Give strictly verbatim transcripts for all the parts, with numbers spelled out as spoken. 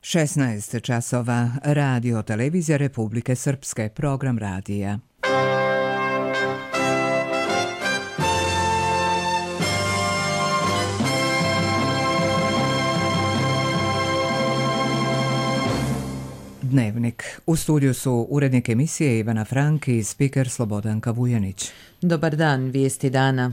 šesnaest časova, Radio Televizija Republike Srpske, program radija. Dnevnik. U studiju su urednik emisije Ivana Frank i spiker Slobodanka Vujanić. Dobar dan, vijesti dana.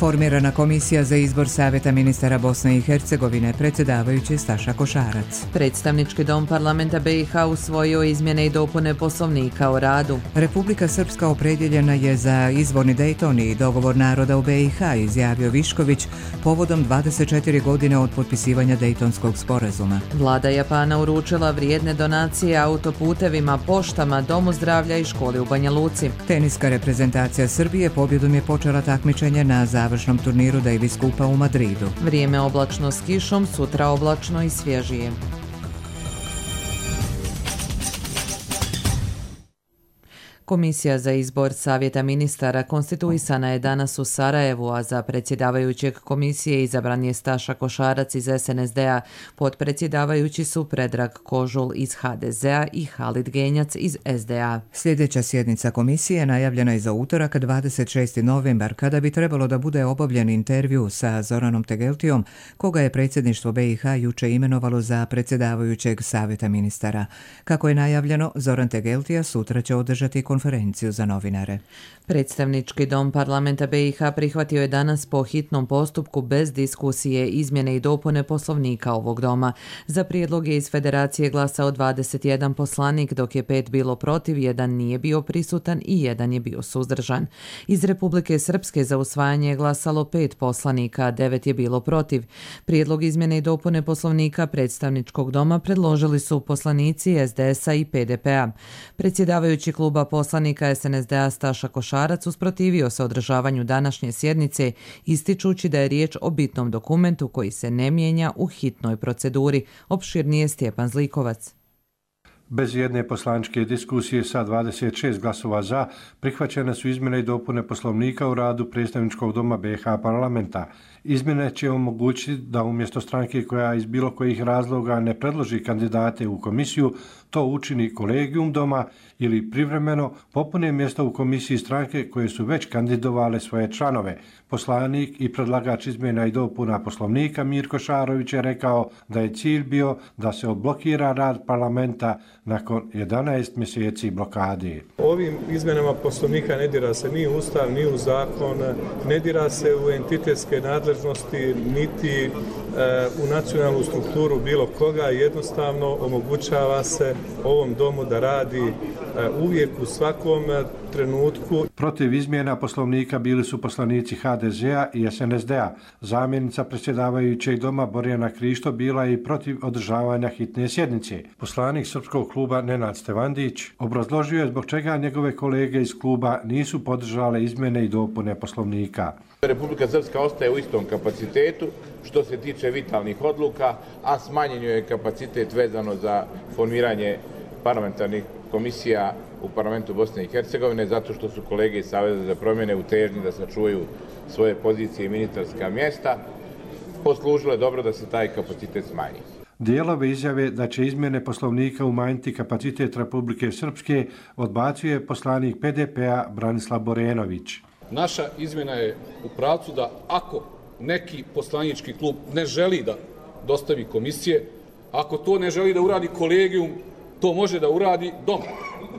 Formirana komisija za izbor Savjeta ministara Bosne i Hercegovine, predsjedavajući Staša Košarac. Predstavnički dom parlamenta B i H usvojio izmjene i dopune Poslovnika o radu. Republika Srpska opredjeljena je za izvorni Dejton i dogovor naroda u B i H, izjavio Višković povodom dvadeset četiri godine od potpisivanja Dejtonskog sporazuma. Vlada Japana uručila vrijedne donacije autoputevima, poštama, domu zdravlja i školi u Banja Luci. Teniska reprezentacija Srbije pobjedom je počela takmičenje na završnom turniru Davis Kupa u Madridu. Vrijeme oblačno s kišom, sutra oblačno i svježije. Komisija za izbor Savjeta ministara konstituisana je danas u Sarajevu, a za predsjedavajućeg komisije izabran je Staša Košarac iz S N S D-a. Podpredsjedavajući su Predrag Kožul iz H D Z-a i Halid Genjac iz S D A. Sljedeća sjednica komisije najavljena je za utorak dvadeset šesti novembar, kada bi trebalo da bude obavljen intervju sa Zoranom Tegeltijom, koga je predsjedništvo B i H juče imenovalo za predsjedavajućeg Savjeta ministara. Kako je najavljeno, Zoran Tegeltija sutra će održati konferenciju za novinare. Predstavnički dom parlamenta B i H prihvatio je danas po hitnom postupku bez diskusije izmjene i dopune Poslovnika ovog doma. Za prijedlog je iz Federacije glasao dvadeset jedan poslanik, dok je pet bilo protiv, jedan nije bio prisutan i jedan je bio suzdržan. Iz Republike Srpske za usvajanje je glasalo pet poslanika, a devet je bilo protiv. Prijedlog izmjene i dopune Poslovnika predstavničkog doma predložili su poslanici S D S-a i P D P-a. Predsjedavajući kluba poslanika S N S D-a Staša Košarac usprotivio se održavanju današnje sjednice, ističući da je riječ o bitnom dokumentu koji se ne mijenja u hitnoj proceduri. Opširnije Stjepan Zlikovac. Bez jedne poslaničke diskusije sa dvadeset šest glasova za prihvaćene su izmjene i dopune Poslovnika u radu predstavničkog doma B i H parlamenta. Izmjene će omogućiti da umjesto stranke koja iz bilo kojih razloga ne predloži kandidate u komisiju, to učini kolegijum doma ili privremeno popune mjesta u komisiji stranke koje su već kandidovale svoje članove. Poslanik i predlagač izmjena i dopuna Poslovnika Mirko Šarović je rekao da je cilj bio da se odblokira rad parlamenta nakon jedanaest mjeseci blokade. Ovim izmjenama Poslovnika ne dira se ni u Ustav, ni u zakon, ne dira se u entitetske nadležnosti, niti e, u nacionalnu strukturu bilo koga. Jednostavno omogućava se ovom domu da radi e, uvijek u svakom trenutku. Protiv izmjena Poslovnika bili su poslanici H D Z-a i S N S D-a. Zamjenica predsjedavajućeg doma Borjana Krišto bila je i protiv održavanja hitne sjednice. Poslanik Srpskog kluba Nenad Stevandić obrazložio je zbog čega njegove kolege iz kluba nisu podržale izmjene i dopune Poslovnika. Republika Srpska ostaje u istom kapacitetu što se tiče vitalnih odluka, a smanjen je kapacitet vezano za formiranje parlamentarnih komisija u parlamentu Bosne i Hercegovine, zato što su kolege iz Saveza za promjene u težnji da sačuvaju svoje pozicije i ministarska mjesta poslužile dobro da se taj kapacitet smanji. Dijelove izjave da će izmjene Poslovnika umanjiti kapacitet Republike Srpske odbacuje poslanik P D P-a Branislav Borenović. Naša izmjena je u pravcu da ako neki poslanički klub ne želi da dostavi komisije, ako to ne želi da uradi kolegijum, to može da uradi dom,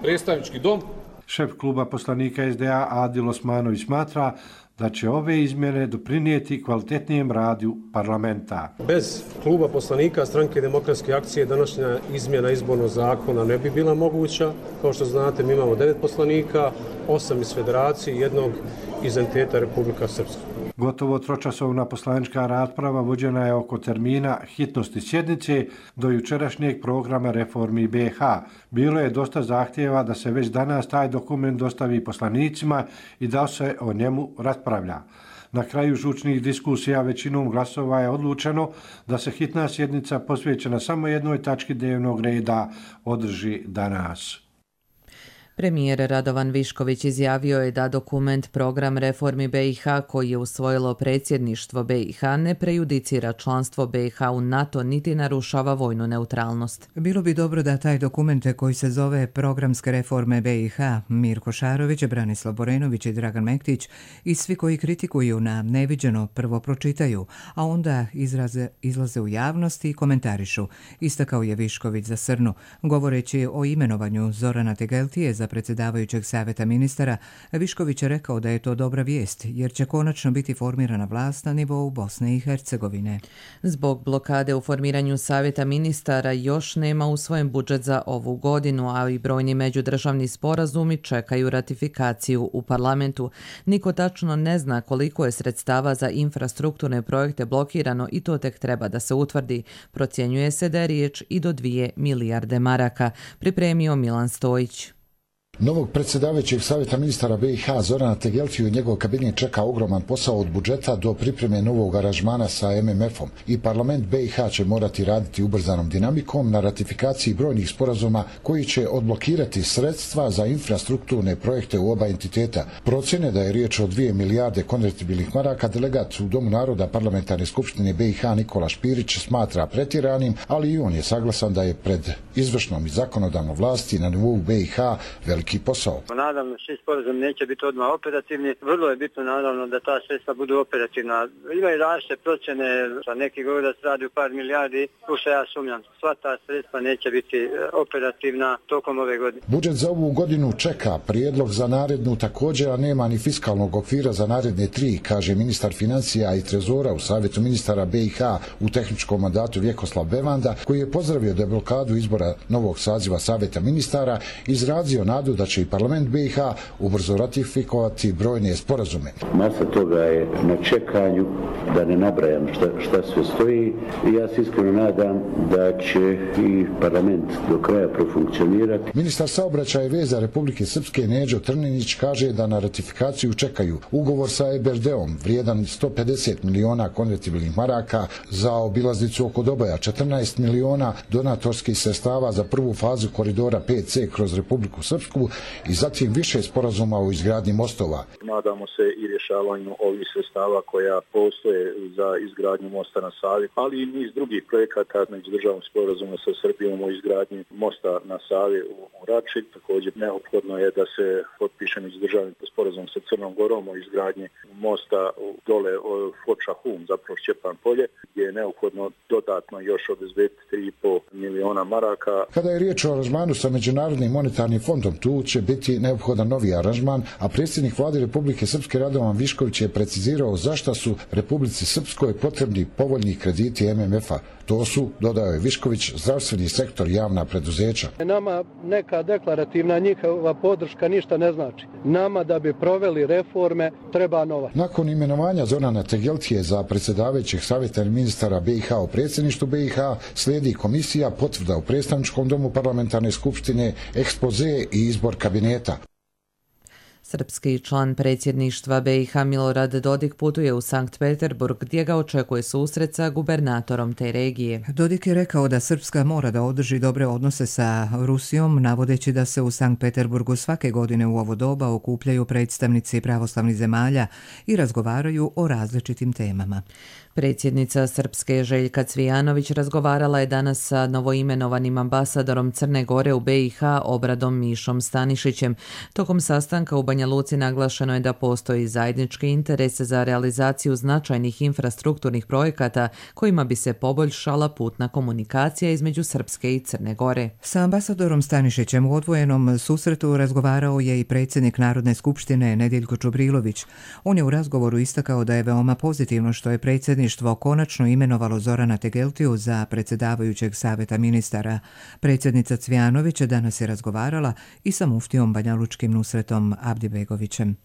predstavnički dom. Šef kluba poslanika S D A Adil Osmanović smatra da će ove izmjene doprinijeti kvalitetnijem radu parlamenta. Bez kluba poslanika Stranke demokratske akcije današnja izmjena izbornog zakona ne bi bila moguća. Kao što znate, mi imamo devet poslanika, osam iz Federacije i jednog iz entiteta Republika Srpska. Gotovo tročasovna poslanička rasprava vođena je oko termina hitnosti sjednice do jučerašnjeg programa reformi B i H. Bilo je dosta zahtjeva da se već danas taj dokument dostavi poslanicima i da se o njemu raspravlja. Na kraju žučnih diskusija većinom glasova je odlučeno da se hitna sjednica posvećena samo jednoj tački dnevnog reda održi danas. Premijer Radovan Višković izjavio je da dokument Program reformi B i H koji je usvojilo predsjedništvo B i H ne prejudicira članstvo B i H u NATO niti narušava vojnu neutralnost. Bilo bi dobro da taj dokument koji se zove Programske reforme B i H, Mirko Šarović, Branislav Borenović i Dragan Mektić i svi koji kritikuju na neviđeno prvo pročitaju, a onda izraze, izlaze u javnost i komentarišu, istakao je Višković za Srnu. Govoreći o imenovanju Zorana Tegeltije za predsjedavajućeg savjeta ministara, Višković je rekao da je to dobra vijest, jer će konačno biti formirana vlast na nivou Bosne i Hercegovine. Zbog blokade u formiranju savjeta ministara još nema usvojen budžet za ovu godinu, a i brojni međudržavni sporazumi čekaju ratifikaciju u parlamentu. Niko tačno ne zna koliko je sredstava za infrastrukturne projekte blokirano i to tek treba da se utvrdi. Procjenjuje se da je riječ i do dvije milijarde maraka, pripremio Milan Stojić. Novog predsjedavajućeg savjeta ministara B i H Zorana Tegeltiju i njegov kabinet čeka ogroman posao od budžeta do pripreme novog aranžmana sa M M F-om i parlament B i H će morati raditi ubrzanom dinamikom na ratifikaciji brojnih sporazuma koji će odblokirati sredstva za infrastrukturne projekte u oba entiteta. Procjene da je riječ o dvije milijarde konvertibilnih maraka delegat u Domu naroda parlamentarne skupštine B i H Nikola Špirić smatra pretjeranim, ali i on je saglasan da je pred izvršnom i zakonodavnom vlasti na nivou B i H veliki posao. Naravno, svi sporazumi neće biti odmah operativni. Vrlo je bitno naravno da ta sredstva budu operativna. Ima i različite procjene, sa neki govore da se radi u par milijardi, u što ja sumnjam. Sva ta sredstva neće biti operativna tokom ove godine. Budžet za ovu godinu čeka prijedlog za narednu također, a nema ni fiskalnog okvira za naredne tri, kaže ministar financija i trezora u savjetu ministara B i H u tehničkom mandatu Vjekoslav Bevanda, koji je pozdravio deblokadu izbora novog saziva savjeta ministara, izrazio nadu da će i parlament B i H ubrzo ratifikovati brojne sporazume. Masa toga je na čekanju, da ne nabrajam šta, šta sve stoji, i ja se iskreno nadam da će i parlament do kraja profunkcionirati. Ministar saobraćaja i veza Republike Srpske Neđo Trninić kaže da na ratifikaciju čekaju ugovor sa E B R D-om vrijedan sto pedeset miliona konvertibilnih maraka za obilaznicu oko Doboja, četrnaest miliona donatorskih sredstava za prvu fazu koridora pet C kroz Republiku Srpsku i zatim više sporazuma o izgradnji mostova. Nadamo se i rješavanju ovih sredstava koja postoje za izgradnju mosta na Savi, ali i niz drugih projekata među državnom sporazumom sa Srbijom o izgradnji mosta na Savi u Rači. Također neophodno je da se potpiše međudržavni sporazum sa Crnom Gorom o izgradnji mosta dole Foča-Hum, zapravo Šćepan Polje, gdje je neophodno dodatno još obezbediti tri i pol miliona maraka. Kada je riječ o aranžmanu sa Međunarodnim monetarnim fondom, tu će biti neophodan novi aranžman, a predsjednik vlade Republike Srpske Radovan Višković je precizirao zašta su Republici Srpskoj potrebni povoljni krediti M M F-a. To su, dodao je Višković, zdravstveni sektor, javna preduzeća. Nama neka deklarativna njihova podrška ništa ne znači. Nama da bi proveli reforme treba novac. Nakon imenovanja Zorana Tegeltije za predsjedavajućeg savjeta ministara B i H u predsjedništvu B i H slijedi komisija, potvrda u predstavničkom domu parlamentarne skupštine, ekspoze i izbor kabineta. Srpski član predsjedništva B i H Milorad Dodik putuje u Sankt Peterburg gdje ga očekuje susret sa gubernatorom te regije. Dodik je rekao da Srpska mora da održi dobre odnose sa Rusijom, navodeći da se u Sankt Peterburgu svake godine u ovo doba okupljaju predstavnici pravoslavnih zemalja i razgovaraju o različitim temama. Predsjednica Srpske Željka Cvijanović razgovarala je danas sa novoimenovanim ambasadorom Crne Gore u B i H Obradom Mišom Stanišićem. Tokom sastanka u Banja Luci naglašeno je da postoji zajednički interes za realizaciju značajnih infrastrukturnih projekata kojima bi se poboljšala putna komunikacija između Srpske i Crne Gore. Sa ambasadorom Stanišićem u odvojenom susretu razgovarao je i predsjednik Narodne skupštine Nediljko Čubrilović. On je u razgovoru istakao da je veoma pozitivno što je predsjednik konačno imenovalo Zorana Tegeltiju za predsjedavajućeg savjeta ministara. Predsjednica Cvijanović danas je razgovarala i sa muftijom banjalučkim Nusretom Abdibegovićem.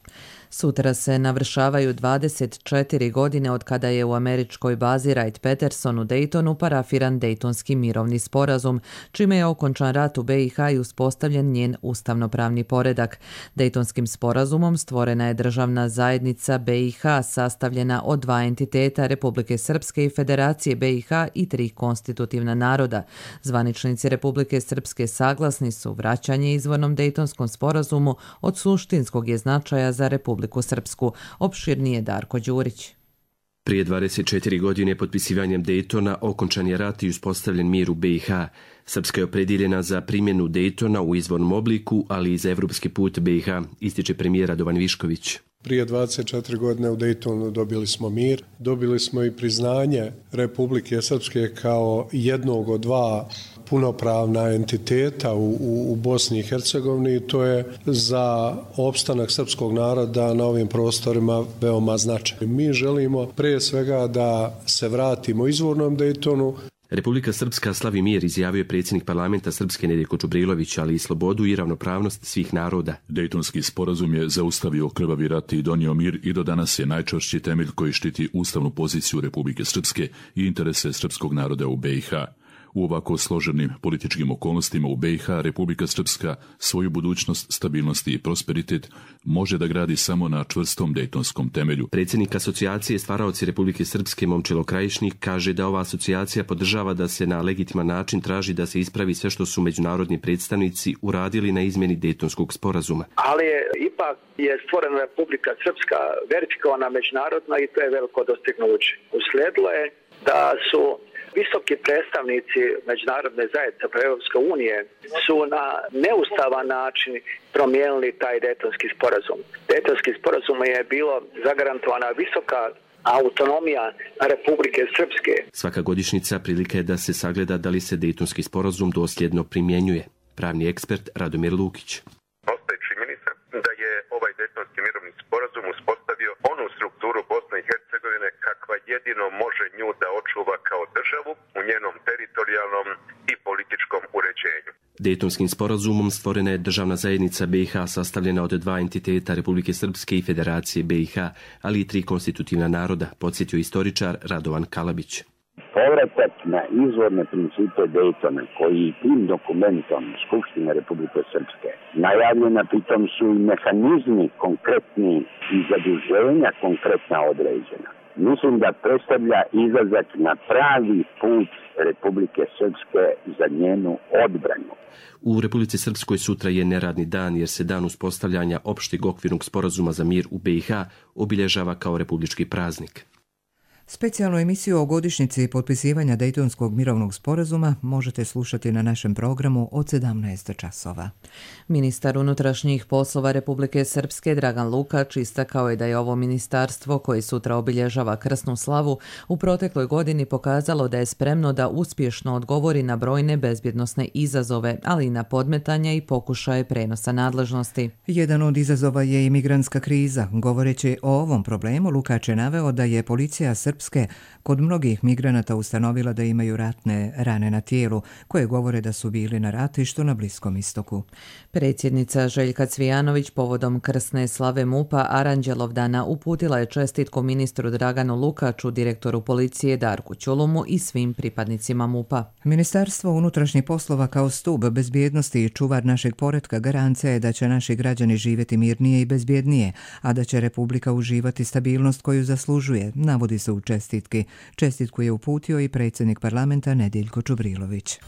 Sutra se navršavaju dvadeset četiri godine od kada je u američkoj bazi Wright-Patterson u Daytonu parafiran Dejtonski mirovni sporazum, čime je okončan rat u B i H i uspostavljen njen ustavnopravni poredak. Dejtonskim sporazumom stvorena je državna zajednica B i H sastavljena od dva entiteta, Republike Republike Srpske i Federacije B i H i tri konstitutivna naroda. Zvaničnici Republike Srpske saglasni su vraćanje izvornom Dejtonskom sporazumu od suštinskog je značaja za Republiku Srpsku. Opširnije Darko Đurić. Prije dvadeset četiri godine potpisivanjem Dejtona okončan je rat i uspostavljen mir u B i H. Srpska je opredjeljena za primjenu Dejtona u izvornom obliku, ali i za evropski put B i H, ističe premijer Radovan Višković. Prije dvadeset četiri godine u Dejtonu dobili smo mir, dobili smo i priznanje Republike Srpske kao jednog od dva punopravna entiteta u, u, u Bosni i Hercegovini i to je za opstanak srpskog naroda na ovim prostorima veoma značajno. Mi želimo prije svega da se vratimo izvornom Dejtonu. Republika Srpska slavi mir, izjavio je predsjednik parlamenta Srpske Nedjeljko Čubrilović, ali i slobodu i ravnopravnost svih naroda. Dejtonski sporazum je zaustavio krvavi rat i donio mir i do danas je najčvršći temelj koji štiti ustavnu poziciju Republike Srpske i interese srpskog naroda u B i H. U ovako složenim političkim okolnostima u B i H Republika Srpska svoju budućnost, stabilnost i prosperitet može da gradi samo na čvrstom dejtonskom temelju. Predsjednik asocijacije stvaraoci Republike Srpske Momčilo Krajišnik kaže da ova asocijacija podržava da se na legitiman način traži da se ispravi sve što su međunarodni predstavnici uradili na izmjeni Dejtonskog sporazuma. Ali je, ipak je stvorena Republika Srpska verifikovana međunarodno i to je veliko dostignuće. Uslijedilo je da su visoki predstavnici međunarodne zajednice Europske unije su na neustavan način promijenili taj Dejtonski sporazum. Dejtonski sporazum je bilo zagarantovana visoka autonomija Republike Srpske. Svaka godišnjica prilika je da se sagleda da li se Dejtonski sporazum dosljedno primjenjuje. Pravni ekspert Radomir Lukić. Postoji činjenica da je ovaj Dejtonski mirovni sporazum uspostavio onu strukturu Bosne i Hercegovine kakva jedino može nju da očuva kao državu u njenom teritorijalnom i političkom uređenju. Dejtonskim sporazumom stvorena je državna zajednica B i H sastavljena od dva entiteta Republike Srpske i Federacije B i H, ali i tri konstitutivna naroda, podsjetio istoričar Radovan Kalabić. Povratak na izvorne principe Dejtona, koji tim dokumentom Skupštine Republike Srpske najavljena, pritom su i mehanizmi konkretni i zaduženja konkretna određena. Mislim da predstavlja izlazak na pravi put Republike Srpske za njenu odbranu. U Republici Srpskoj sutra je neradni dan jer se dan uspostavljanja opšteg okvirnog sporazuma za mir u B i H obilježava kao republički praznik. Specijalnu emisiju o godišnjici potpisivanja Dejtonskog mirovnog sporazuma možete slušati na našem programu od sedamnaest časova. Ministar unutrašnjih poslova Republike Srpske Dragan Lukač istakao je da je ovo ministarstvo, koje sutra obilježava krsnu slavu, u protekloj godini pokazalo da je spremno da uspješno odgovori na brojne bezbjednosne izazove, ali i na podmetanja i pokušaje prenosa nadležnosti. Jedan od izazova je imigrantska kriza. Govoreći o ovom problemu, Lukač je naveo da je policija Srpske kod mnogih migranata ustanovila da imaju ratne rane na tijelu, koje govore da su bili na ratištu na Bliskom istoku. Predsjednica Željka Cvijanović povodom krsne slave MUP-a Aranđelovdana uputila je čestitku ministru Draganu Lukaču, direktoru policije Darku Ćulumu i svim pripadnicima MUP-a. Ministarstvo unutrašnjih poslova kao stup bezbjednosti i čuvar našeg poretka garancija je da će naši građani živjeti mirnije i bezbjednije, a da će Republika uživati stabilnost koju zaslužuje, navodi se u čestitki. Čestitku je uputio i predsjednik parlamenta Nedjeljko Čubrilović.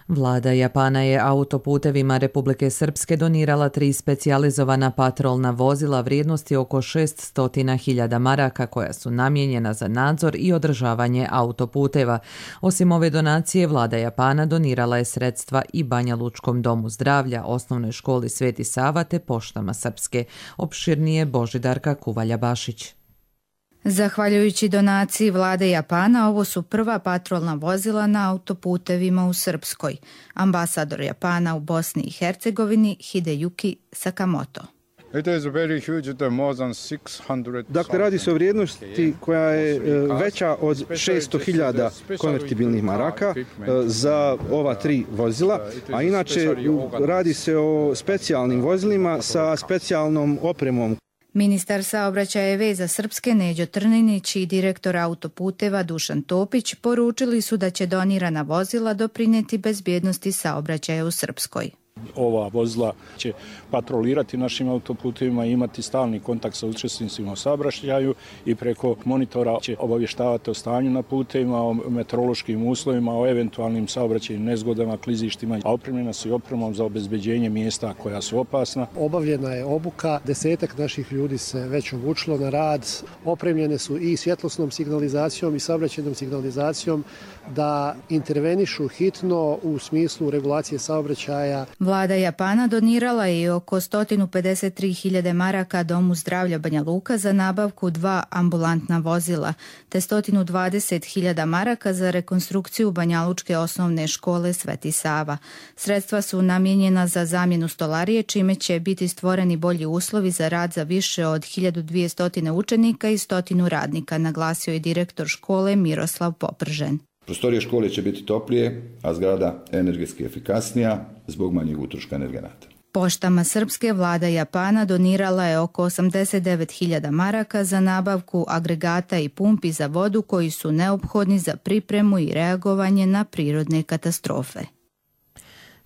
Vlada Japana je autoputevima Republike Srpske donirala tri specijalizovana patrolna vozila vrijednosti oko šesto hiljada maraka koja su namijenjena za nadzor i održavanje autoputeva. Osim ove donacije, Vlada Japana donirala je sredstva i Banja Lučkom domu zdravlja, osnovnoj školi Sveti Sava te poštama Srpske. Opširnije Božidarka Kuvalja-Bašić. Zahvaljujući donaciji vlade Japana, ovo su prva patrolna vozila na autoputevima u Srpskoj. Ambasador Japana u Bosni i Hercegovini Hideyuki Sakamoto. Dakle, radi se o vrijednosti koja je veća od šesto hiljada konvertibilnih maraka za ova tri vozila, a inače radi se o specijalnim vozilima sa specijalnom opremom. Ministar saobraćaja i veza Srpske Neđo Trninić i direktor autoputeva Dušan Topić poručili su da će donirana vozila doprinijeti bezbjednosti saobraćaja u Srpskoj. Ova vozila će patrolirati našim autoputovima i imati stalni kontakt sa učesnicima u saobraćaju i preko monitora će obavještavati o stanju na putevima, o meteorološkim uslovima, o eventualnim saobraćajnim nezgodama, klizištima, a opremljena su i opremom za obezbeđenje mjesta koja su opasna. Obavljena je obuka, desetak naših ljudi se već obučilo na rad, opremljene su i svjetlosnom signalizacijom i saobraćajnom signalizacijom da intervenišu hitno u smislu regulacije saobraćaja. Vlada Japana donirala je oko sto pedeset tri hiljade maraka Domu zdravlja Banja Luka za nabavku dva ambulantna vozila, te sto dvadeset hiljada maraka za rekonstrukciju banjalučke osnovne škole Sveti Sava. Sredstva su namijenjena za zamjenu stolarije, čime će biti stvoreni bolji uslovi za rad za više od hiljadu dvjesto učenika i stotinu radnika, naglasio je direktor škole Miroslav Popržen. Prostorije škole će biti toplije, a zgrada energetski efikasnija zbog manjeg utroška energenata. Poštama Srpske vlada Japana donirala je oko osamdeset devet hiljada maraka za nabavku agregata i pumpi za vodu koji su neophodni za pripremu i reagovanje na prirodne katastrofe.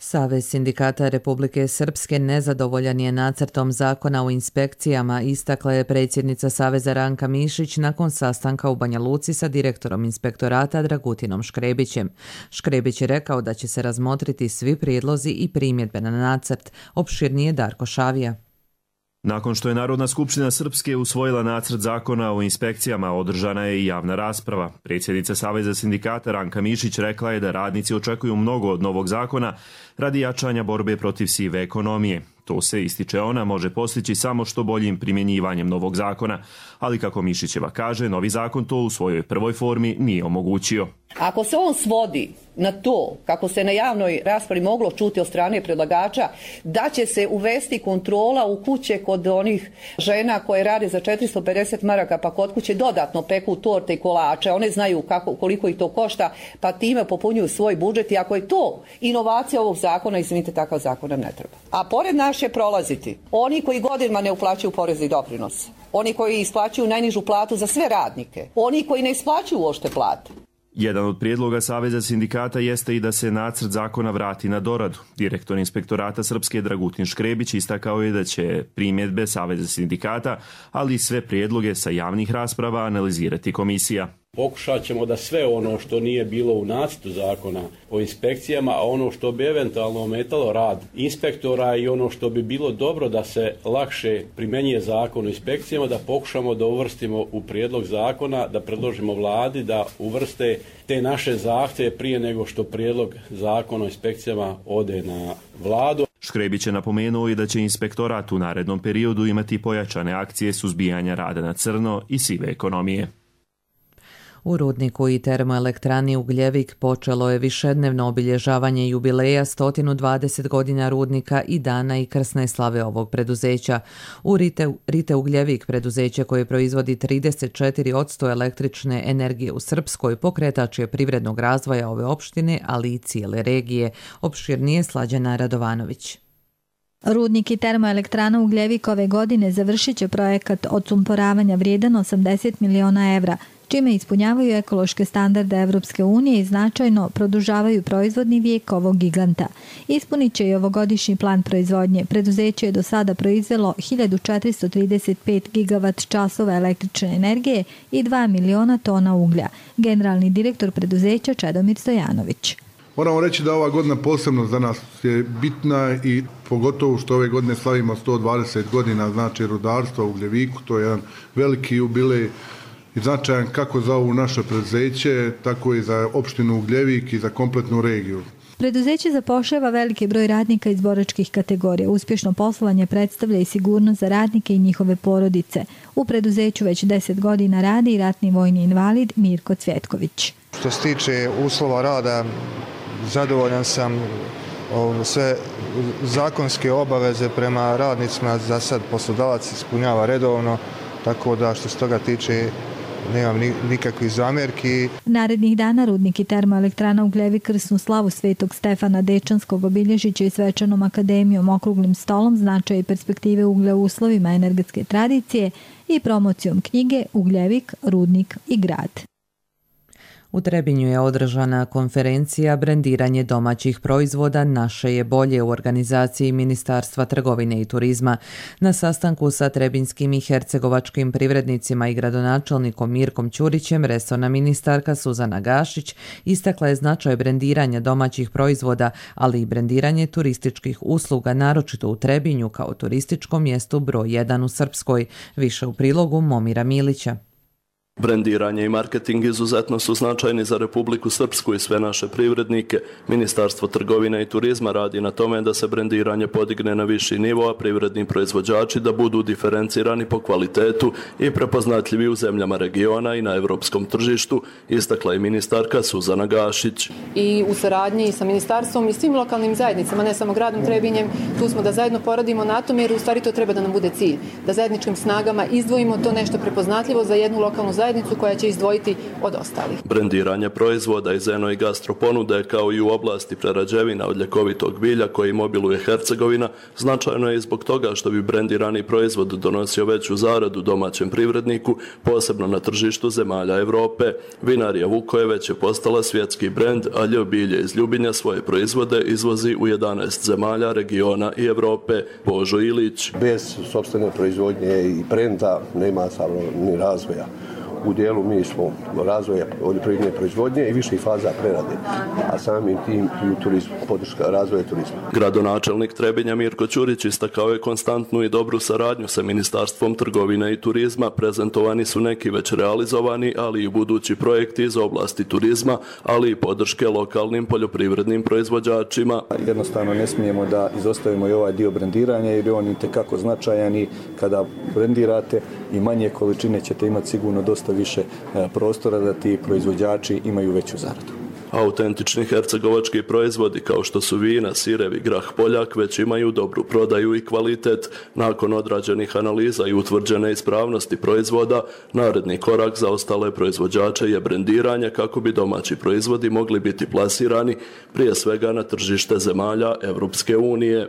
Savez sindikata Republike Srpske nezadovoljan je nacrtom zakona o inspekcijama, istakla je predsjednica Saveza Ranka Mišić nakon sastanka u Banja Luci sa direktorom inspektorata Dragutinom Škrebićem. Škrebić je rekao da će se razmotriti svi prijedlozi i primjedbe na nacrt. Opširnije Darko Šavija. Nakon što je Narodna skupština Srpske usvojila nacrt zakona o inspekcijama, održana je i javna rasprava. Predsjednica Saveza sindikata Ranka Mišić rekla je da radnici očekuju mnogo od novog zakona radi jačanja borbe protiv sive ekonomije. To se, ističe ona, može postići samo što boljim primjenjivanjem novog zakona, ali kako Mišićeva kaže, novi zakon to u svojoj prvoj formi nije omogućio. Ako se on svodi na to, kako se na javnoj raspravi moglo čuti od strane predlagača, da će se uvesti kontrola u kuće kod onih žena koje rade za četiristo pedeset maraka, pa kod kuće dodatno peku torte i kolače, one znaju kako, koliko ih to košta, pa time popunjuju svoj budžet i ako je to inovacija ovog zakona, izvinite, takav zakon nam ne treba. A pored naš će prolaziti oni koji godinama ne uplaćuju porez i doprinos, oni koji isplaćuju najnižu platu za sve radnike, oni koji ne isplaćuju uopšte plate. Jedan od prijedloga Saveza sindikata jeste i da se nacrt zakona vrati na doradu. Direktor inspektorata Srpske Dragutin Škrebić istakao je da će primjedbe Saveza sindikata, ali i sve prijedloge sa javnih rasprava analizirati komisija. Pokušat ćemo da sve ono što nije bilo u nacrtu zakona o inspekcijama, a ono što bi eventualno ometalo rad inspektora i ono što bi bilo dobro da se lakše primjenjuje zakon o inspekcijama, da pokušamo da uvrstimo u prijedlog zakona, da predložimo vladi da uvrste te naše zahtjeve prije nego što prijedlog zakona o inspekcijama ode na vladu. Škrebić je napomenuo i da će inspektorat u narednom periodu imati pojačane akcije suzbijanja rada na crno i sive ekonomije. U rudniku i termoelektrani Ugljevik počelo je višednevno obilježavanje jubileja sto dvadeset godina rudnika i dana i krsne slave ovog preduzeća. U Rite, Rite Ugljevik, preduzeće koje proizvodi trideset četiri posto električne energije u Srpskoj, pokretač je privrednog razvoja ove opštine, ali i cijele regije. Opširnije Slađana Radovanović. Rudnik i termoelektrana Ugljevik ove godine završit će projekat odsumporavanja vrijedan osamdeset miliona evra, čime ispunjavaju ekološke standarde Evropske unije i značajno produžavaju proizvodni vijek ovog giganta. Ispunit će i ovogodišnji plan proizvodnje. Preduzeće je do sada proizvelo hiljadu četiristo trideset pet gigavat časova električne energije i dva miliona tona uglja. Generalni direktor preduzeća Čedomir Stojanović. Moramo reći da ova godina posebno za nas je bitna i pogotovo što ove godine slavimo sto dvadeset godina, znači rudarstva u Ugljeviku, to je jedan veliki jubilej i značajan kako za ovo naše preduzeće, tako i za opštinu Ugljevik i za kompletnu regiju. Preduzeće zapošljava veliki broj radnika iz boračkih kategorija. Uspješno poslovanje predstavlja i sigurnost za radnike i njihove porodice. U preduzeću već deset godina radi i ratni vojni invalid Mirko Cvjetković. Što se tiče uslova rada, zadovoljan sam, sve zakonske obaveze prema radnicima za sad poslodavac ispunjava redovno, tako da što se toga tiče nemam nikakvih zamjerki. Narednih dana rudnik i termoelektrana Ugljevik krsnu slavu Svetog Stefana Dečanskog obilježit će i svečanom akademijom, okruglim stolom, značaj i perspektive uglja u uslovima energetske tradicije i promocijom knjige Ugljevik, rudnik i grad. U Trebinju je održana konferencija Brendiranje domaćih proizvoda naše je bolje u organizaciji Ministarstva trgovine i turizma. Na sastanku sa trebinjskim i hercegovačkim privrednicima i gradonačelnikom Mirkom Ćurićem resorna ministarka Suzana Gašić istakla je značaj brendiranja domaćih proizvoda, ali i brendiranje turističkih usluga, naročito u Trebinju kao turističkom mjestu broj jedan u Srpskoj. Više u prilogu Momira Milića. Brendiranje i marketing izuzetno su značajni za Republiku Srpsku i sve naše privrednike. Ministarstvo trgovine i turizma radi na tome da se brendiranje podigne na viši nivo, a privredni proizvođači da budu diferencirani po kvalitetu i prepoznatljivi u zemljama regiona i na europskom tržištu, istakla je ministarka Suzana Gašić. I u saradnji sa ministarstvom i svim lokalnim zajednicama, ne samo gradom Trebinjem, tu smo da zajedno poradimo na tome, jer u stvari to treba da nam bude cilj. Da zajedničkim snagama izdvojimo to nešto prepoznatljivo za jednu lokalnu zajednicu koja će izdvojiti od ostalih. Brendiranje proizvoda iz eno i gastro ponude, kao i u oblasti prerađevina od ljekovitog bilja koji obiluje Hercegovina, značajno je i zbog toga što bi brendirani proizvod donosio veću zaradu domaćem privredniku, posebno na tržištu zemalja Europe. Vinarija Vukojeveć je postala svjetski brend, a ljev bilje iz Ljubinja svoje proizvode izvozi u jedanaest zemalja, regiona i Europe. Božo Ilić. Bez sopstvene proizvodnje i brenda nema samo ni razvoja. U dijelu mi smo razvoja poljoprivredne proizvodnje i viših faza prerade, a samim tim i u turizmu, podrška razvoja turizma. Gradonačelnik Trebinja Mirko Ćurić istakao je konstantnu i dobru saradnju sa Ministarstvom trgovine i turizma. Prezentovani su neki već realizovani, ali i budući projekti iz oblasti turizma, ali i podrške lokalnim poljoprivrednim proizvođačima. Jednostavno ne smijemo da izostavimo i ovaj dio brendiranja, jer je on itekako značajan i kada brendirate i manje količine ćete imati sigurno dosta više prostora da ti proizvođači imaju veću zaradu. Autentični hercegovački proizvodi kao što su vina, sirevi, grah, poljak već imaju dobru prodaju i kvalitet. Nakon odrađenih analiza i utvrđene ispravnosti proizvoda, naredni korak za ostale proizvođače je brendiranje kako bi domaći proizvodi mogli biti plasirani prije svega na tržište zemalja Europske unije.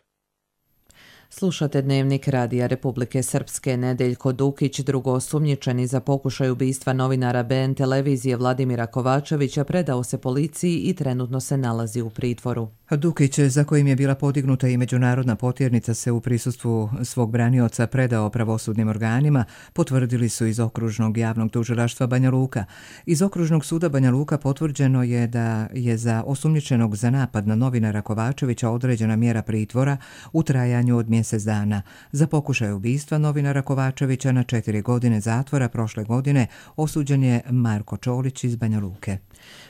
Slušate Dnevnik Radija Republike Srpske. Nedeljko Dukić, drugoosumnjičeni za pokušaj ubistva novinara B N televizije Vladimira Kovačevića, predao se policiji i trenutno se nalazi u pritvoru. Dukić, za kojim je bila podignuta i međunarodna potjernica, se u prisustvu svog branioca predao pravosudnim organima, potvrdili su iz Okružnog javnog tužilaštva Banja Luka. Iz Okružnog suda Banja Luka potvrđeno je da je za osumnjičenog za napad na novinara Kovačevića određena mjera pritvora u trajanju od mjesec dana. Za pokušaj ubistva novinara Kovačevića na četiri godine zatvora prošle godine osuđen je Marko Čolić iz Banja Luke.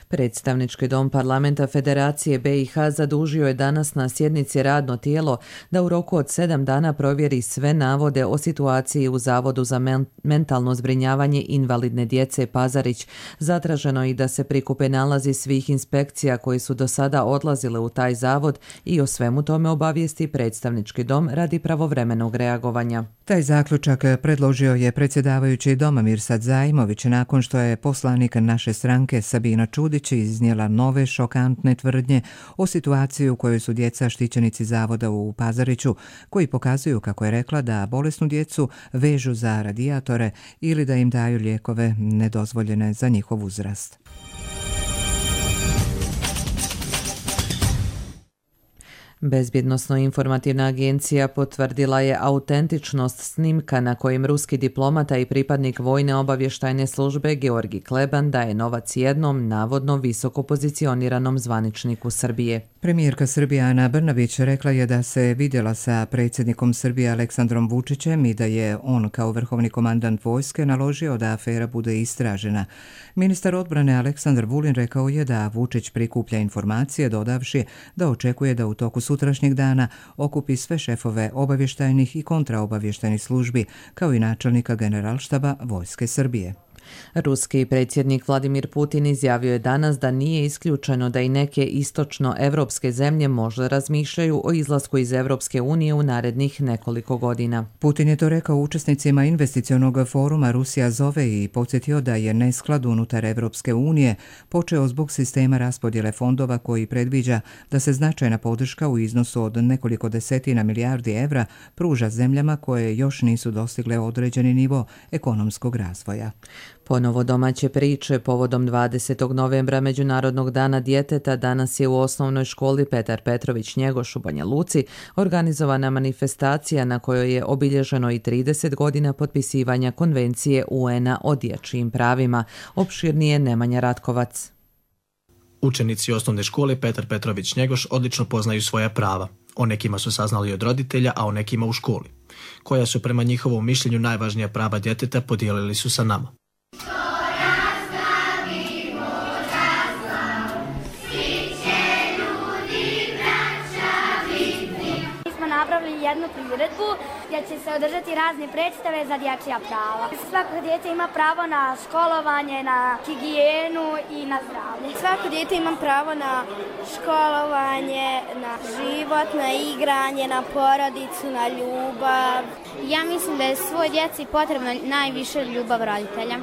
Predstavnički dom parlamenta Federacije B i H zadužio je danas na sjednici radno tijelo da u roku od sedam dana provjeri sve navode o situaciji u Zavodu za men- mentalno zbrinjavanje invalidne djece Pazarić. Zatraženo i da se prikupe nalazi svih inspekcija koji su do sada odlazile u taj zavod i o svemu tome obavijesti predstavnički dom radi pravovremenog reagovanja. Taj zaključak predložio je predsjedavajući doma Mirsad Zajmović nakon što je poslanik naše stranke Sabina Čudić iznijela nove šokantne tvrdnje o situaciji u kojoj su djeca štićenici zavoda u Pazariću, koji pokazuju, kako je rekla, da bolesnu djecu vežu za radijatore ili da im daju lijekove nedozvoljene za njihov uzrast. Bezbjednosno-informativna agencija potvrdila je autentičnost snimka na kojem ruski diplomata i pripadnik vojne obavještajne službe Georgi Kleban daje novac jednom navodno visoko pozicioniranom zvaničniku Srbije. Premijerka Srbije Ana Brnabić rekla je da se vidjela sa predsjednikom Srbije Aleksandrom Vučićem i da je on kao vrhovni komandant vojske naložio da afera bude istražena. Ministar odbrane Aleksandar Vulin rekao je da Vučić prikuplja informacije, dodavši da očekuje da u toku sutrašnjeg dana okupi sve šefove obavještajnih i kontraobavještajnih službi, kao i načelnika Generalštaba Vojske Srbije. Ruski predsjednik Vladimir Putin izjavio je danas da nije isključeno da i neke istočno-evropske zemlje možda razmišljaju o izlasku iz Evropske unije u narednih nekoliko godina. Putin je to rekao učesnicima investicionog foruma Rusija zove i podsjetio da je nesklad unutar Evropske unije počeo zbog sistema raspodjele fondova koji predviđa da se značajna podrška u iznosu od nekoliko desetina milijardi evra pruža zemljama koje još nisu dostigle određeni nivo ekonomskog razvoja. Ponovo domaće priče povodom dvadesetog novembra Međunarodnog dana djeteta danas je u osnovnoj školi Petar Petrović Njegoš u Banja Luci organizovana manifestacija na kojoj je obilježeno i trideset godina potpisivanja Konvencije U N-a o dječjim pravima. Opširnije Nemanja Ratkovac. Učenici osnovne škole Petar Petrović Njegoš odlično poznaju svoja prava. O nekima su saznali od roditelja, a o nekima u školi. Koja su prema njihovom mišljenju najvažnija prava djeteta podijelili su sa nama. Napravili jednu priredbu gdje će se održati razne predstave za dječja prava. Svako dijete ima pravo na školovanje, na higijenu i na zdravlje. Svako dijete ima pravo na školovanje, na život, na igranje, na porodicu, na ljubav. Ja mislim da je svoj djeci potrebno najviše ljubav roditelja.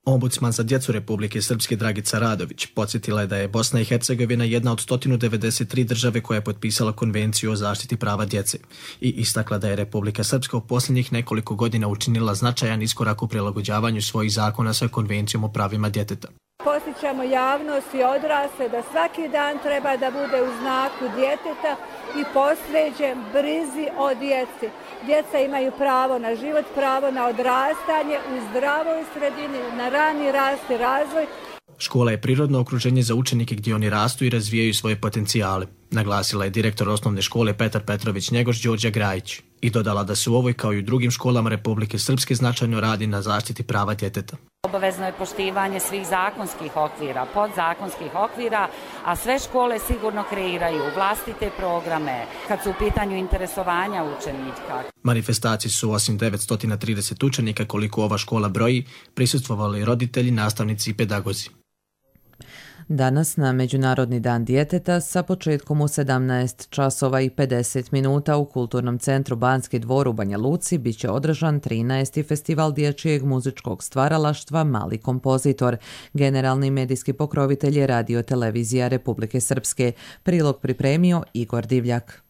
Ombudsman za djecu Republike Srpske Dragica Radović podsjetila je da je Bosna i Hercegovina jedna od sto devedeset tri države koja je potpisala Konvenciju o zaštiti prava djece i istakla da je Republika Srpska u posljednjih nekoliko godina učinila značajan iskorak u prilagođavanju svojih zakona sa Konvencijom o pravima djeteta. Podsjećamo javnost i odrasle da svaki dan treba da bude u znaku djeteta i posvećen brizi o djeci. Djeca imaju pravo na život, pravo na odrastanje u zdravoj sredini, na rani rast i razvoj. Škola je prirodno okruženje za učenike gdje oni rastu i razvijaju svoje potencijale, naglasila je direktor osnovne škole Petar Petrović Njegoš Đorđe Grajić i dodala da se u ovoj kao i u drugim školama Republike Srpske značajno radi na zaštiti prava djeteta. Obavezno je poštivanje svih zakonskih okvira, podzakonskih okvira, a sve škole sigurno kreiraju vlastite programe kad su u pitanju interesovanja učenika. Manifestaciji su osim devetsto trideset učenika koliko ova škola broji, prisustvovali roditelji, nastavnici i pedagozi. Danas na Međunarodni dan djeteta sa početkom u sedamnaest časova i pedeset minuta u Kulturnom centru Banski dvor u Banja Luci bit će održan trinaesti festival dječjeg muzičkog stvaralaštva Mali kompozitor. Generalni medijski pokrovitelj je Radio Televizija Republike Srpske. Prilog pripremio Igor Divljak.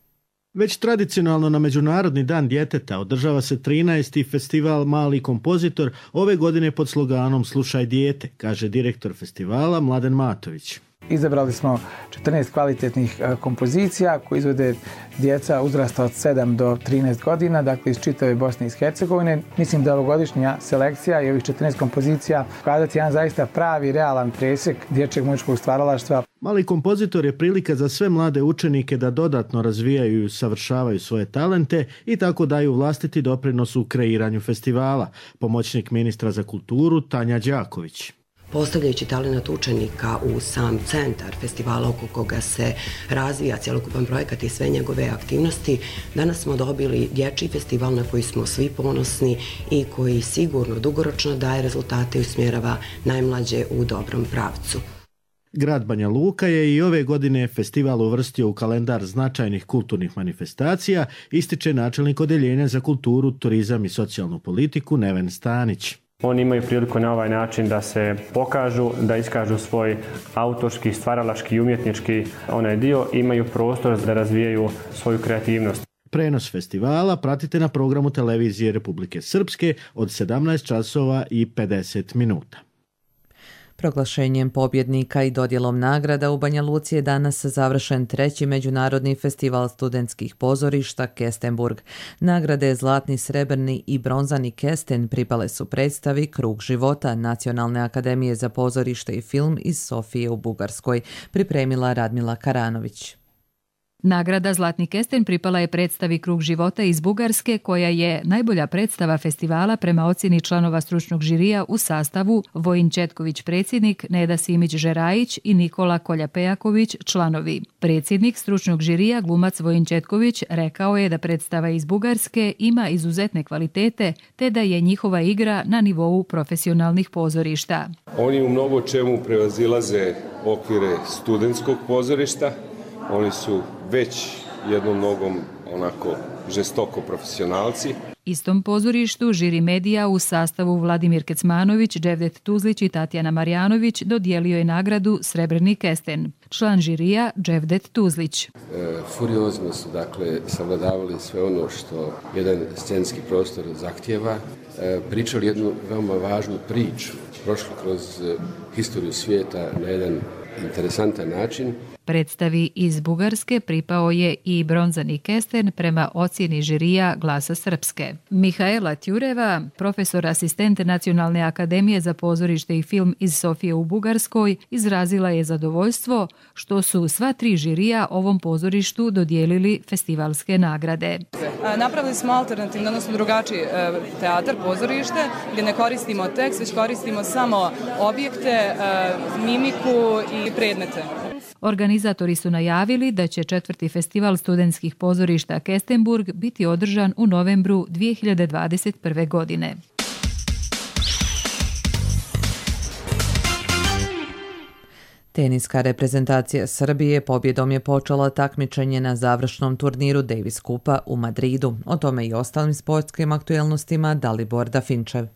Već tradicionalno na Međunarodni dan djeteta održava se trinaesti festival Mali kompozitor, ove godine pod sloganom Slušaj dijete, kaže direktor festivala Mladen Matović. Izabrali smo četrnaest kvalitetnih kompozicija koje izvode djeca uzrasta od sedam do trinaest godina, dakle iz čitave Bosne i Hercegovine. Mislim da ovogodišnja selekcija i ovih četrnaest kompozicija pokazati jedan zaista pravi, realan presjek dječjeg muzičkog stvaralaštva. Mali kompozitor je prilika za sve mlade učenike da dodatno razvijaju i usavršavaju svoje talente i tako daju vlastiti doprinos u kreiranju festivala. Pomoćnik ministra za kulturu Tanja Đaković. Postavljajući talenat učenika u sam centar festivala oko koga se razvija cjelokupan projekat i sve njegove aktivnosti, danas smo dobili dječji festival na koji smo svi ponosni i koji sigurno dugoročno daje rezultate i usmjerava najmlađe u dobrom pravcu. Grad Banja Luka je i ove godine festival uvrstio u kalendar značajnih kulturnih manifestacija, ističe načelnik odeljenja za kulturu, turizam i socijalnu politiku Neven Stanić. Oni imaju priliku na ovaj način da se pokažu, da iskažu svoj autorski, stvaralački i umjetnički onaj dio, imaju prostor da razvijaju svoju kreativnost. Prenos festivala pratite na programu Televizije Republike Srpske od sedamnaest časova i pedeset minuta. Proglašenjem pobjednika i dodjelom nagrada u Banja Luci je danas završen treći međunarodni festival studentskih pozorišta Kestenburg. Nagrade Zlatni, srebrni i bronzani kesten pripale su predstavi Krug života Nacionalne akademije za pozorište i film iz Sofije u Bugarskoj, pripremila Radmila Karanović. Nagrada Zlatni kesten pripala je predstavi Krug života iz Bugarske, koja je najbolja predstava festivala prema ocjeni članova stručnog žirija u sastavu Vojin Četković predsjednik, Neda Simić Žerajić i Nikola Kolja-Pejaković članovi. Predsjednik stručnog žirija, glumac Vojin Četković, rekao je da predstava iz Bugarske ima izuzetne kvalitete te da je njihova igra na nivou profesionalnih pozorišta. Oni u mnogo čemu prevazilaze okvire studentskog pozorišta. Oni su već jednom nogom onako žestoko profesionalci. Istom pozorištu žiri medija u sastavu Vladimir Kecmanović, Dževdet Tuzlić i Tatjana Marjanović dodijelio je nagradu Srebrni kesten. Član žirija Dževdet Tuzlić. E, furiozno su dakle savladavali sve ono što jedan scenski prostor zahtjeva. pričali jednu veoma važnu priču, prošli kroz historiju svijeta na jedan interesantan način. Predstavi iz Bugarske pripao je i bronzani kesten prema ocjeni žirija Glasa Srpske. Mihaela Tjureva, profesor asistent Nacionalne akademije za pozorište i film iz Sofije u Bugarskoj, izrazila je zadovoljstvo što su sva tri žirija ovom pozorištu dodijelili festivalske nagrade. Napravili smo alternativno, odnosno drugačiji teatar, pozorište, gdje ne koristimo tekst, već koristimo samo objekte, mimiku i predmete. Organizatori su najavili da će četvrti festival studentskih pozorišta Kestenburg biti održan u novembru dvije hiljade dvadeset prve. godine. Teniska reprezentacija Srbije pobjedom je počela takmičenje na završnom turniru Davis Kupa u Madridu. O tome i ostalim sportskim aktuelnostima Dalibor Dafinčev.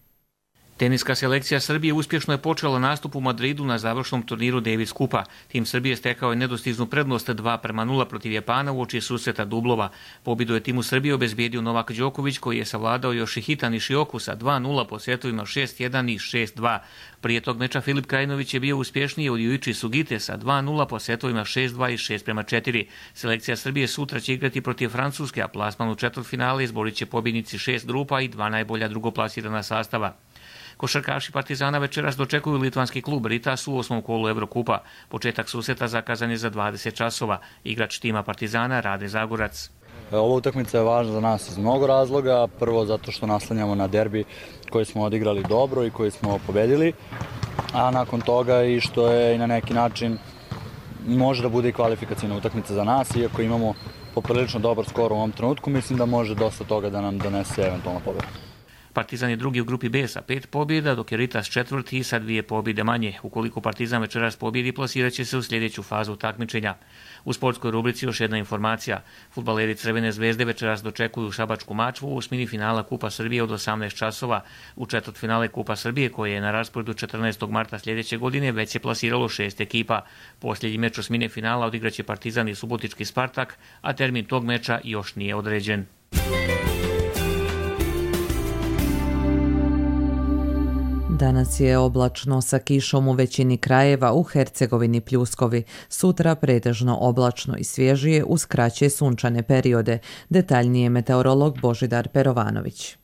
Teniska selekcija Srbije uspješno je počela nastup u Madridu na završnom turniru Davis Kupa. Tim Srbije stekao je nedostižnu prednost dva prema nula protiv Japana uoči susreta dublova. Pobjedu je timu Srbije obezbijedio Novak Đoković, koji je savladao Yoshihita Nishioku sa dva nula po setovima šest jedan i šest dva. Prije tog meča Filip Krajinović je bio uspješniji od Yuichi Sugite sa dva nula po setovima šest dva i šest prema četiri. Selekcija Srbije sutra će igrati protiv Francuske, a plasman u četvrtfinale izborit će pobjednici šest grupa i dva najbolja drugoplasirana sastava. Košarkaši Partizana večeras dočekuju litvanski klub Ritas u osmom kolu Evrokupa. Početak susreta zakazan je za dvadeset časova. Igrač tima Partizana Rade Zagorac. Ova utakmica je važna za nas iz mnogo razloga. Prvo zato što naslanjamo na derbi koji smo odigrali dobro i koji smo pobedili. A nakon toga i što je na neki način može da bude i kvalifikacijna utakmica za nas. Iako imamo poprilično dobar skor u ovom trenutku, mislim da može dosta toga da nam donese eventualno pobjedu. Partizan je drugi u grupi B sa pet pobjeda, dok je Ritas četvrti sa dvije pobjede manje. Ukoliko Partizan večeras pobjedi, plasirat će se u sljedeću fazu takmičenja. U sportskoj rubrici još jedna informacija. Fudbaleri Crvene zvezde večeras dočekuju Šabačku Mačvu u osmini finala Kupa Srbije od osamnaest časova. U četvrtfinale Kupa Srbije, koje je na rasporedu četrnaestog marta sljedeće godine, već se plasiralo šest ekipa. Posljednji meč osmine finala odigraće Partizan i Subotički Spartak, a termin tog meča još nije određen. Danas je oblačno sa kišom u većini krajeva, u Hercegovini pljuskovi. Sutra pretežno oblačno i svježije uz kraće sunčane periode. Detaljnije meteorolog Božidar Perovanović.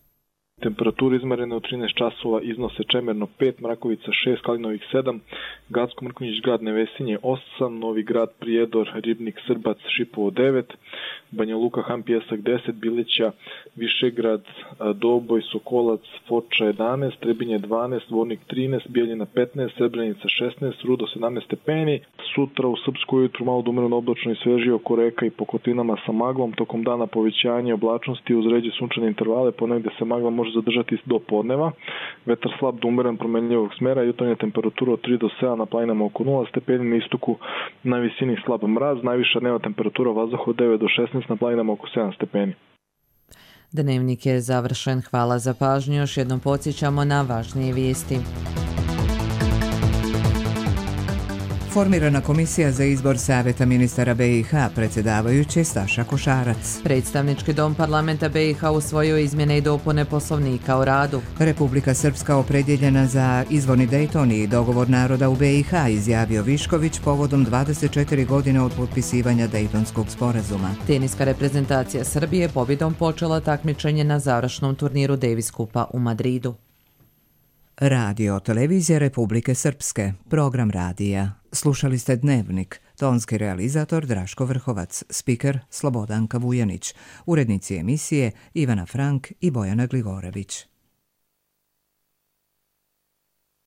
Temperature izmerene u trinaest časova iznose Čemerno pet, Mrakovica šest, Kalinovik sedam, Gacko Mrkonjić Grad Nevesinje osam, Novi Grad Prijedor, Ribnik Srbac Šipovo devet, Banja Luka Han Pijesak deset, Bileća Višegrad Doboj Sokolac Foča jedanaest, Trebinje dvanaest, Vornik trinaest, Bijeljina petnaest, Srebrenica šesnaest, Rudo sedamnaest stepeni. Sutra u Srpsku ujutru malo dumerno oblačno i svežije oko reka i Pokotinama sa maglom, tokom dana povećanje oblačnosti uz ređe sunčane intervale, ponegde se magla može zadržati do podneva. Vetar slab do umeren promenljivog smera, jutarnja temperatura od tri do sedam, na planinama oko nula stepeni, na istoku na visini slab mraz, najviša dnevna temperatura vazduha od devet do šesnaest, na planinama oko sedam stepeni. Dnevnik je završen. Hvala za pažnju. Još jednom podsjećamo na važnije vijesti. Formirana komisija za izbor savjeta ministara be i ha, predsjedavajući Staša Košarac. Predstavnički dom parlamenta be i ha usvojio izmjene i dopune poslovnika o radu. Republika Srpska opredjeljena za izvorni Dejton i dogovor naroda u be i ha, izjavio Višković povodom dvadeset četiri godine od potpisivanja Dejtonskog sporazuma. Teniska reprezentacija Srbije pobjedom počela takmičenje na završnom turniru Davis Kupa u Madridu. Radio televizija Republike Srpske, program radija. Slušali ste Dnevnik, tonski realizator Draško Vrhovac, spiker Slobodanka Vujanić, urednici emisije Ivana Frank i Bojana Gligorević.